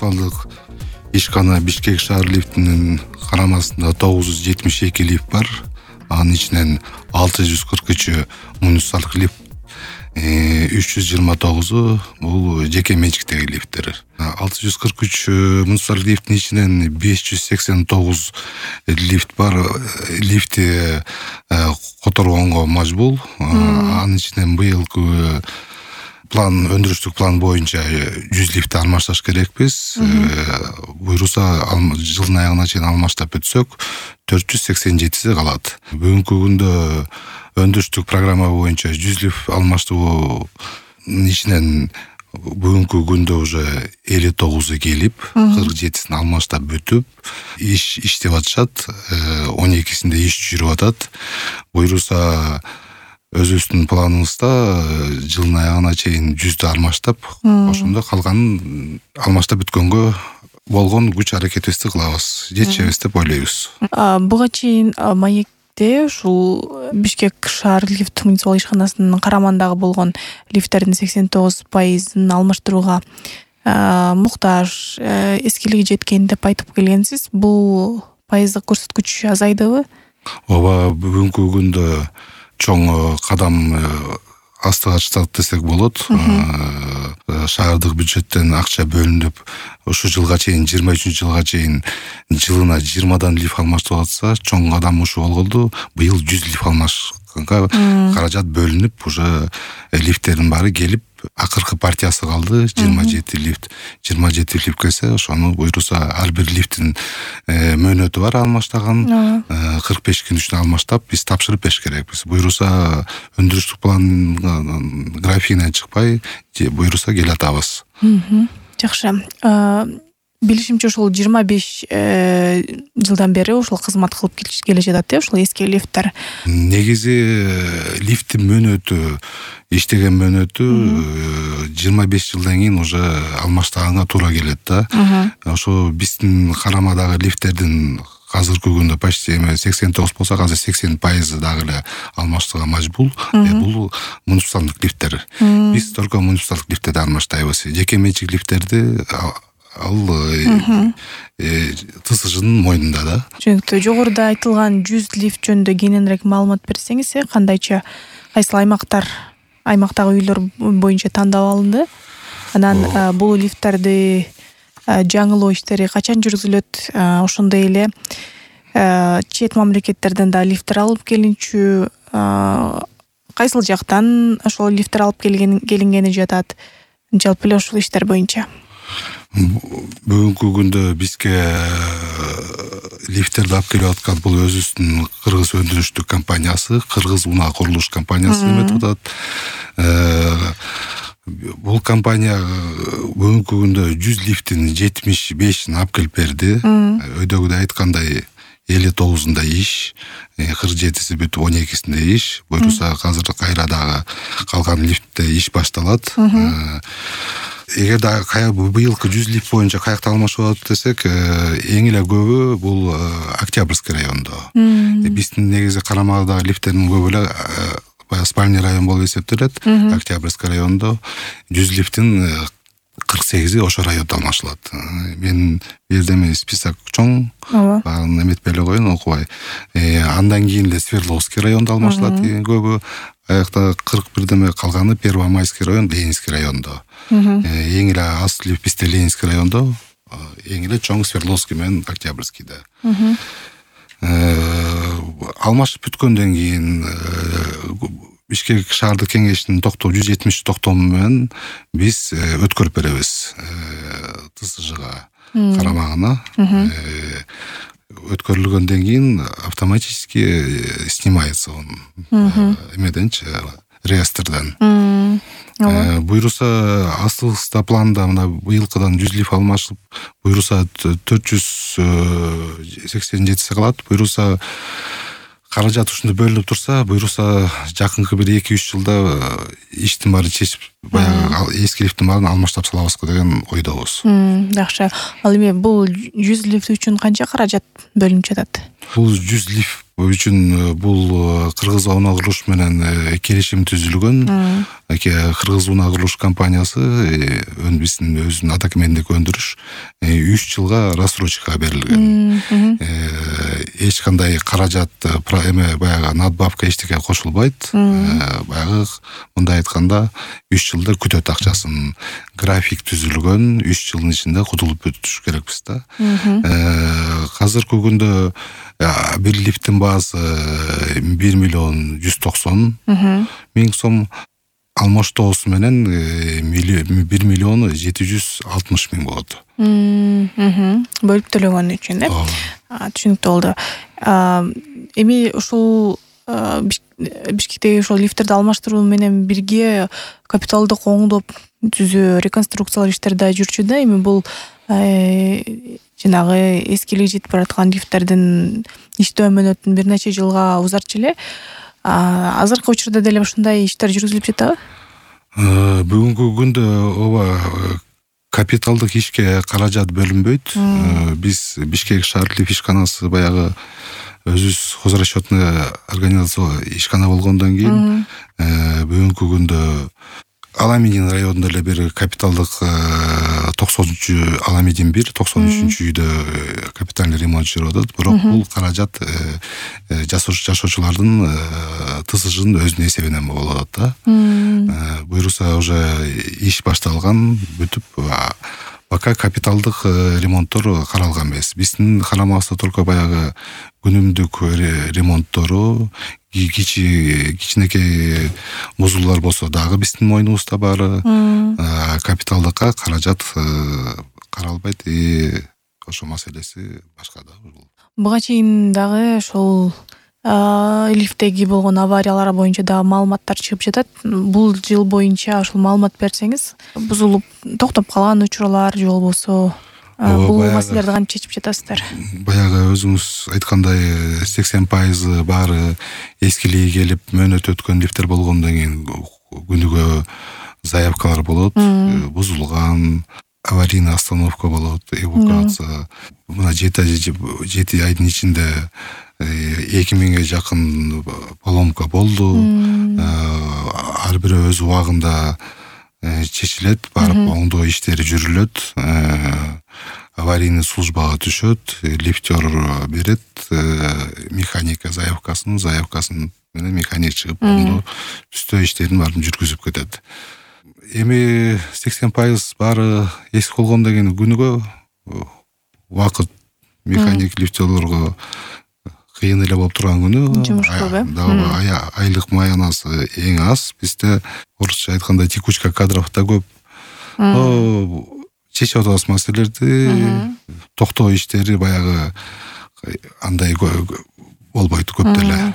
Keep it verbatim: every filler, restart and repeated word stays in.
муниципалдык ишкана Бишкек шаар лифтинин карамасында тогуз жүз жетимиш эки лифт бар. Анын ичинен алты жүз кырк үчү муниципалдык лифт, үч жүз жыйырма тогузу бул жеке менчиктеги лифттер. алты жүз кырк үч муниципалдык лифттин ичинен беш жүз сексен тогуз лифт бар. Лифти которгонго мажбул. Анын ичинен быйылкы план, өндүрүштүк план боюнча жүз лифтти алмашташ керекпиз. Буйруса жылдын аягына чейин алмаштап өтсөк, төрт жүз сексен жетиси калат. Бүгүнкү күндө өндүрүштүк программа боюнча жүз лифт алмаштыруу ичинен бүгүнкү күндө уже элүү тогузу келип, кырк жетисин алмаштап бүтүп, иш иштеп атышат. он экисинде иш жүрүп атат. Буйруса өзүбүздүн планыбызда жылдын аягына чейин жүздү алмаштап, ошондо калганын алмаштап бүткөнгө болгон күч аракетибизди кылабыз, жетишебиз деп ойлойбуз. Буга чейин маекте ушул Бишкек шаар лифт муниципалдык ишканасынын карамандагы болгон лифттердин сексен тогуз пайызын алмаштырууга муктаж, эскилиги жеткен деп айтып келгенсиз. Бул пайыздык көрсөткүч азайдыбы? Ооба, бүгүнкү күндө чоң кадам астыга чыктык десек болот. Шаардык бюджеттен акча бөлүнүп, ушу жылга чейин, жыйырма үчүнчү жылга чейин жылына жыйырмадан лифт алмаштырып атса, чоң кадам ушу болгонду. Быйыл жүз лифт алмашканга каражат бөлүнүп, уже лифттердин баары келип, акыркы партиясы калды. жыйырма жети лифт. жыйырма жети лифт келсе, ошону буйруса ар бир лифттин мөөнөтү бар алмаштаган. кырк беш күн ичинде алмаштап биз тапшырып бериш керекпиз. Буйруса өндүрүштүк план графигинен чыкпай, буйруса келе атабыз. Жакшы. Билишимче ушул жыйырма беш жылдан бери ушул кызмат кылып келе жатат, э, ушул эски лифттер. Негизи лифттин мөөнөтү, иштеген мөөнөтү жыйырма беш жылдан кийин уже алмаштаганга туура келет да. Ошо биздин карамадагы лифттердин азыркы күндө почти сексен тогуз болсо, азыр сексен пайызы дагы эле алмаштырууга мажбур. Бул муниципалдык лифттер. Биз только муниципалдык лифттерди алмаштайбыз. Жеке менчик лифттерди ал ТСЖнын мойнунда да. Түшүнүктүү. Жогоруда айтылган жүз лифт жөнүндө кененирээк маалымат берсеңиз, кандайча, кайсыл аймактар, аймактагы үйлөр боюнча тандап алынды? Анан бул лифттерди жаңылоо иштери качан жүргүзүлөт? Ошондой эле чет мамлекеттерден да лифттер алып келинчү, кайсыл жактан ошол лифттер алып келингени жатат? Жалпы эле ушул иштер боюнча. Бүгүнкү күндө бизге лифттерди алып келип аткан бул өзүбүздүн кыргыз өндүрүштүк компаниясы, Кыргыз унаа курулуш компаниясы деп атат. Бул компания бүгүнкү күндө жүз лифттин жетимиш бешин алып келип берди. Өйдөгүдөй айткандай элүү тогузунда иш, кырк жетиси бүтүп, он экисинде иш. Буйруса азыр кайра дагы калган лифтте иш башталат. Эгер да быйылкы жүз лифт боюнча каякта алмашып атат десек, эң эле көбү бул Октябрьский райондо. Биздин негизи карамадагы лифттердин көбү эле спальный район болуп эсептелет. Октябрьский райондо жүз лифттин кырк сегизи ошо райондо алмашылат. Мен бердем список чоң, баарын эметпей эле коеюн, окубай. Андан кийин эле Свердловский райондо алмашылат көбү. Аякта кырк бирдеме калганы Первомайский район, Ленинский райондо. Эң эле аз лифт бизде Ленинский райондо, эң эле чоң Свердловский менен Октябрьскийде. Алмашып бүткөндөн кийин Бишкек шаардык кеңешинин токтоо жүз жетимиш токтому менен биз өткөрүп беребиз ТСЖга карамагына. Өткөрүлгөндөн кийин автоматически снимается он эмеденчи, реестрден. Буйруса астыбызда планда мына быйылкыдан жүз лифт алмашып, буйруса төрт жүз сексен жетиси калат. Буйруса каражат ушунда бөлүнүп турса, буйруса жакынкы бир эки үч жылда иштин баарын чечип, баягы эски лифттин баарын алмаштап салабызбы деген ойдобуз. Жакшы. Ал эми бул жүз лифт үчүн канча каражат бөлүнүп жатат? Бул жүз лифт үчүн бул Кыргыз унаа курулуш менен келишим түзүлгөн. Кыргыз унаа курулуш компаниясы биздин өзүнүн атакемендик өндүрүш үч жылга рассрочка берилген. Эч кандай каражат эме баягы надбавка эчтеке кошулбайт. Баягы мындай айтканда үч жылда күтөт акчасын. График түзүлгөн, үч жылдын ичинде кутулуп өтүш керекпиз да. Азыркы күндө бир лифттин баасы бир миллион жүз токсон миң сом, алмаштоосу менен бир миллион жети жүз алтымыш миң болот. Бөлүп төлөгөн үчүн, э? Түшүнүктүү болду. Эми ушул Бишкектеги ошол лифттерди алмаштыруу менен бирге капиталдык оңдоп түзүү, реконструкциялар иштери да жүрчү да. Эми бул жанагы эскилиги жетип бараткан лифттердин иштөө мөөнөтүн бир нече жылга узартчу эле. Азыркы учурда деле ушундай иштер жүргүзүлүп жатабы? Бүгүнкү күндө ооба капиталдык ишке каражат бөлүнбөйт. Биз Бишкек шаар лифт ишканасы баягы өзүбүз хозрасчетный организация ишкана болгондон кийин бүгүнкү күндө Аламедин районунда эле бир капиталдык токсонунчу Аламедин бир, токсон үчүнчү үйдө капитальный ремонт жүрүп атат. Бирок бул каражат жашоочулардын тысыжынын өзүнүн эсебинен болуп атат да. Буюрса уже иш башталган, бүтүп, пока капиталдык ремонттор каралган эмес. Биздин карамабызда только баягы күнүмдүк ремонттору, кичинекей бузулуулар болсо дагы биздин мойнубузда баары. Капиталдыкка каражат каралбайт. Ошо маселеси башка да. Буга чейин дагы ошол лифттеги болгон авариялар боюнча дагы маалыматтар чыгып жатат. Бул жыл боюнча ошол маалымат берсеңиз, бузулуп токтоп калган учурлар же болбосо бул маселелерди кантип чечип жатасыздар? Баягы өзүңүз айткандай сексен пайыз баары эскилиги келип мөөнөт өткөн лифттер болгондон кийин күнүгө заявкалар болот, бузулган, аварийный остановка болот, эвакуация. Мына жети айдын ичинде эки миңге жакын поломка болду. Ар бири өз убагында чечилет, барып оңдоо иштери жүрүлөт. Аварийный службага түшөт, лифтер берет механика заявкасын, заявкасын менен механик чыгып оңдоо түстөө иштерин баарын жүргүзүп кетет. Эми сексен пайыз баары эски болгондон кийин күнүгө убакыт механик лифтерлорго кыйын эле болуп турган күнү. Жумуш көп, э? Айлык маянасы эң аз. Бизде орусча айтканда текучка кадров да көп. Чечип атабыз маселелерди, токтоо иштери баягы андай болбойт көп деле.